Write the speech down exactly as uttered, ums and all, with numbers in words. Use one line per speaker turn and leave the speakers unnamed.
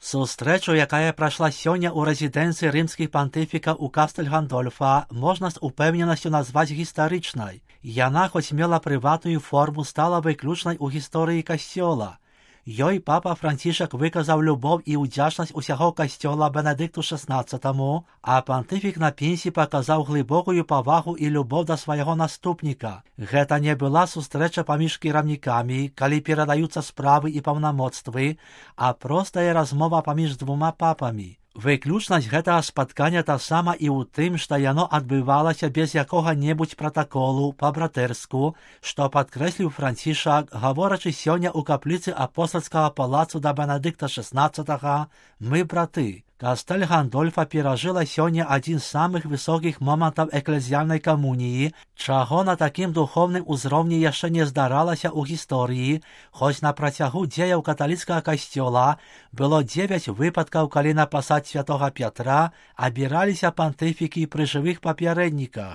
Сустрэчу, якая прайшла сёння ў рэзідэнцыі рымскіх пантыфікаў у Кастэль Гандольфа, можна з упэўненасцю назваць гістарычнай. Яна, хоць мела прыватную форму, стала выключнай у гісторыі касцёла. Ёй папа Францішак выказаў любоў і ўдзячнасць усяго касцёла Бенедыкту шаснаццатаму, а пантыфік на пенсіі паказаў глыбокую павагу і любоў да свайго наступніка. Гэта не была сустрэча паміж кіраўнікамі, калі перадаюцца справы і паўнамоцтвы, а простая размова паміж двума папамі. Выключнасць гэтага спаткання таксама і ў тым, што яно адбывалася без якога-небудзь пратаколу па-братэрску, што падкрэсліў Францішак, гаворачы сёння ў капліцы апостальскага палацу да Бенедыкта шаснаццатага «Мы браты». Кастэль Гандольфа перажыла сёння адзін з самых высокіх момантаў эклезіяльнай камуніі, чаго на такім духоўным узроўні яшчэ не здаралася ў гісторыі, хоць на працягу дзеяў каталіцкага касцёла было дзевяць выпадкаў, калі на пасад святога Пятра абіраліся пантыфікі пры жывых папярэдніках.